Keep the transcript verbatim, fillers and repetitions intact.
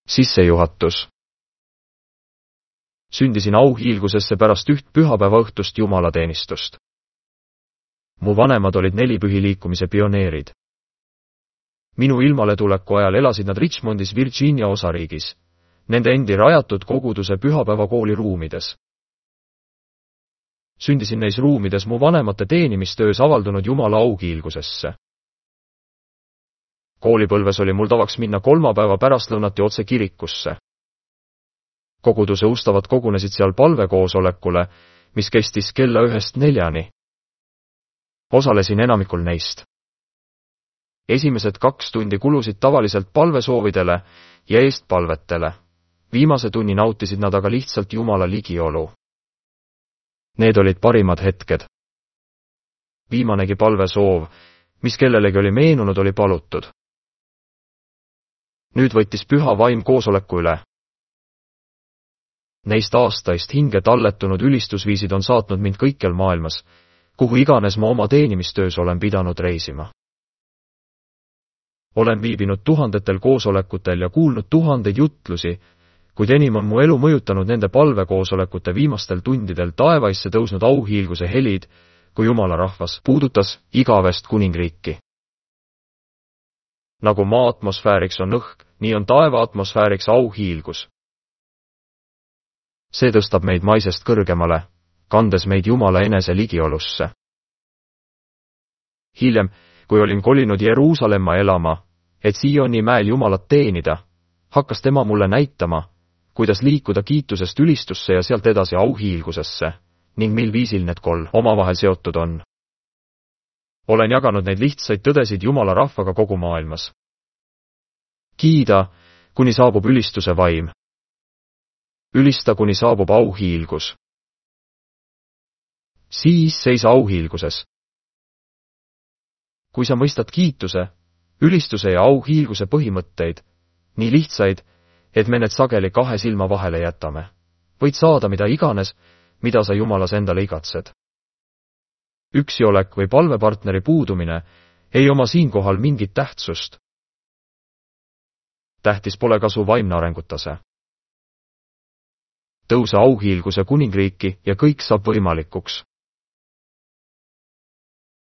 Sissejuhatus. Sündisin auhiilgusesse pärast üht pühapäeva õhtust jumalateenistust. Mu vanemad olid nelipühiliikumise pioneerid. Minu ilmaletuleku ajal elasid nad Richmondis Virginia osariigis, nende endi rajatud koguduse pühapäevakooli ruumides. Sündisin neis ruumides mu vanemate teenimistöös avaldunud Jumala auhiilgusesse. Koolipõlves oli mul tavaks minna kolmapäeva pärastlõunati otse kirikusse. Koguduse ustavad kogunesid seal palvekoosolekule, mis kestis kella ühest neljani. Osalesin enamikul neist. Esimesed kaks tundi kulusid tavaliselt palvesoovidele ja eestpalvetele. Viimase tunni nautisid nad aga lihtsalt Jumala ligiolu. Need olid parimad hetked. Viimanegi palvesoov, mis kellelegi oli meenunud, oli palutud. Nüüd võttis püha vaim koosoleku üle. Neist aastaist hinge talletunud ülistusviisid on saatnud mind kõikjal maailmas, kuhu iganes ma oma teenimistöös olen pidanud reisima. Olen viibinud tuhandetel koosolekutel ja kuulnud tuhandeid jutlusi, kuid enim on mu elu mõjutanud nende palvekoosolekute viimastel tundidel taevaisse tõusnud auhiilguse helid, kui Jumala rahvas puudutas igavest kuningriiki. Nagu maa atmosfääriks on õhk, nii on taeva atmosfääriks auhiilgus. See tõstab meid maisest kõrgemale, kandes meid Jumala enese ligiolusse. Hiljem, kui olin kolinud Jeruusalemma elama, et Sioni mäel Jumalat teenida, hakkas tema mulle näitama, kuidas liikuda kiitusest ülistusse ja sealt edasi auhiilgusesse, ning mil viisil need kolm omavahel seotud on. Olen jaganud neid lihtsaid tõdesid Jumala rahvaga kogu maailmas. Kiida, kuni saabub ülistuse vaim. Ülista, kuni saabub auhiilgus. Siis seisa auhiilguses. Kui sa mõistad kiituse, ülistuse ja auhiilguse põhimõtteid, nii lihtsaid, et me need sageli kahe silma vahele jätame, võid saada mida iganes, mida sa Jumalas endale igatsed. Üksiolek või palvepartneri puudumine ei oma siinkohal mingit tähtsust. Tähtis pole kasu vaimne arengutase. Tõuse auhiilguse kuningriiki ja kõik saab võimalikuks.